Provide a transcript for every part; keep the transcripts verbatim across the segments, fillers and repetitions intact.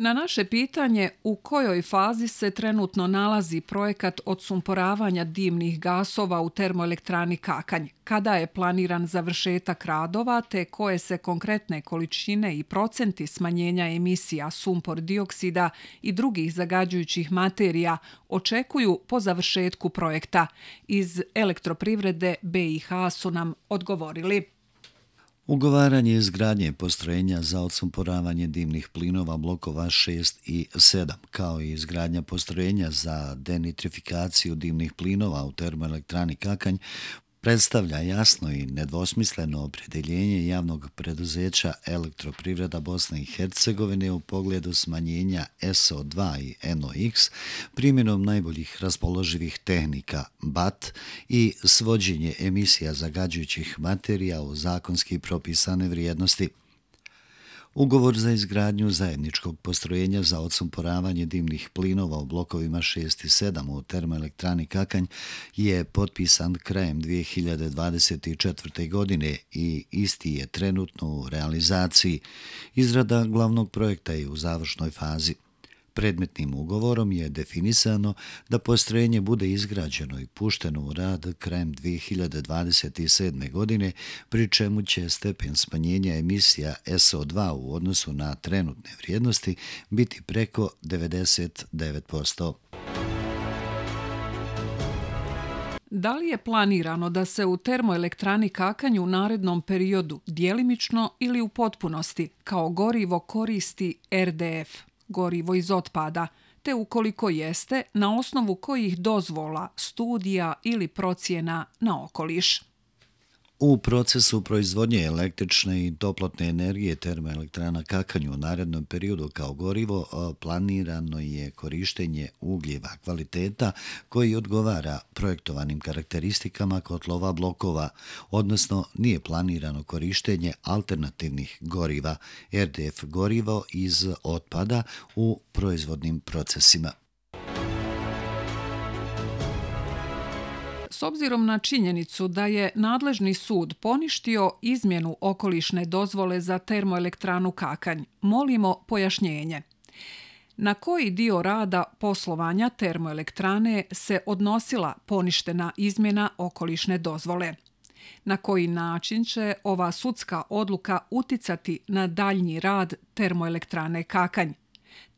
Na naše pitanje u kojoj fazi se trenutno nalazi projekat odsumporavanja dimnih gasova u termoelektrani Kakanj, kada je planiran završetak radova te koje se konkretne količine i procenti smanjenja emisija sumpor dioksida i drugih zagađujućih materija očekuju po završetku projekta, iz Elektroprivrede be i ha su nam odgovorili. Ugovaranje izgradnje postrojenja za odsumporavanje dimnih plinova blokova šest i sedam, kao i izgradnja postrojenja za denitrifikaciju dimnih plinova u termoelektrani Kakanj, predstavlja jasno i nedvosmisleno opredjeljenje javnog preduzeća Elektroprivreda Bosne i Hercegovine u pogledu smanjenja es o dva i en o iks primjenom najboljih raspoloživih tehnika B A T i svođenje emisija zagađujućih materija u zakonski propisane vrijednosti. Ugovor za izgradnju zajedničkog postrojenja za odsumporavanje dimnih plinova u blokovima šest i sedam u termoelektrani Kakanj je potpisan krajem dvije hiljade dvadeset četvrte. godine i isti je trenutno u realizaciji. Izrada glavnog projekta je u završnoj fazi. Predmetnim ugovorom je definisano da postrojenje bude izgrađeno i pušteno u rad krajem dvije hiljade dvadeset sedme. godine, pri čemu će stepen smanjenja emisija es o dva u odnosu na trenutne vrijednosti biti preko devedeset devet posto. Da li je planirano da se u termoelektrani Kakanj u narednom periodu djelimično ili u potpunosti kao gorivo koristi er de ef, gorivo iz otpada, te ukoliko jeste, na osnovu kojih dozvola, studija ili procjena na okoliš? U procesu proizvodnje električne i toplotne energije termoelektrana Kakanj u narednom periodu kao gorivo planirano je korištenje ugljeva kvaliteta koji odgovara projektovanim karakteristikama kotlova blokova, odnosno nije planirano korištenje alternativnih goriva, er de ef gorivo iz otpada u proizvodnim procesima. S obzirom na činjenicu da je nadležni sud poništio izmjenu okolišne dozvole za termoelektranu Kakanj, molimo pojašnjenje. Na koji dio rada poslovanja termoelektrane se odnosila poništena izmjena okolišne dozvole? Na koji način će ova sudska odluka uticati na daljnji rad termoelektrane Kakanj?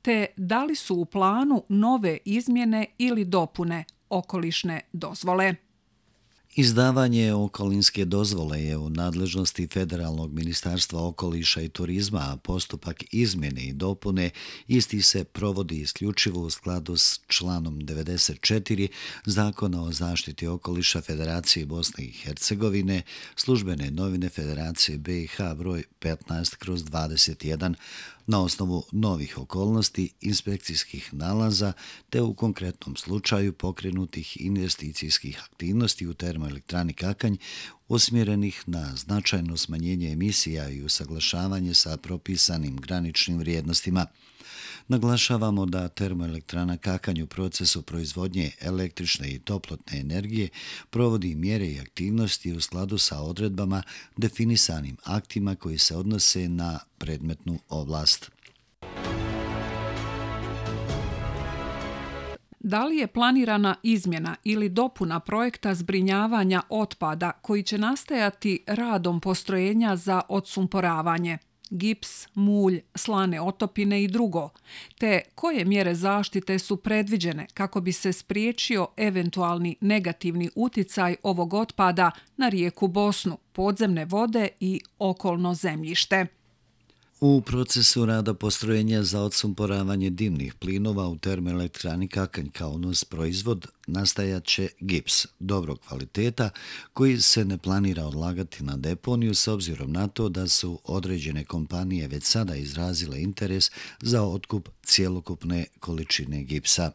Te da li su u planu nove izmjene ili dopune okolišne dozvole? Izdavanje okolinske dozvole je u nadležnosti Federalnog ministarstva okoliša i turizma, a postupak izmjene i dopune isti se provodi isključivo u skladu s članom devedeset četiri Zakona o zaštiti okoliša Federacije Bosne i Hercegovine, službene novine Federacije be i ha broj petnaest kroz dvadeset jedan, na osnovu novih okolnosti, inspekcijskih nalaza te u konkretnom slučaju pokrenutih investicijskih aktivnosti u termoelektrani Kakanj usmjerenih na značajno smanjenje emisija i usaglašavanje sa propisanim graničnim vrijednostima. Naglašavamo da termoelektrana Kakanj u procesu proizvodnje električne i toplotne energije provodi mjere i aktivnosti u skladu sa odredbama definisanim aktima koji se odnose na predmetnu oblast. Da li je planirana izmjena ili dopuna projekta zbrinjavanja otpada koji će nastajati radom postrojenja za odsumporavanje, gips, mulj, slane otopine i drugo, te koje mjere zaštite su predviđene kako bi se spriječio eventualni negativni uticaj ovog otpada na rijeku Bosnu, podzemne vode i okolno zemljište? U procesu rada postrojenja za odsumporavanje dimnih plinova u termoelektrani Kakanj kao nus proizvod nastajat će gips dobrog kvaliteta koji se ne planira odlagati na deponiju s obzirom na to da su određene kompanije već sada izrazile interes za otkup cjelokupne količine gipsa.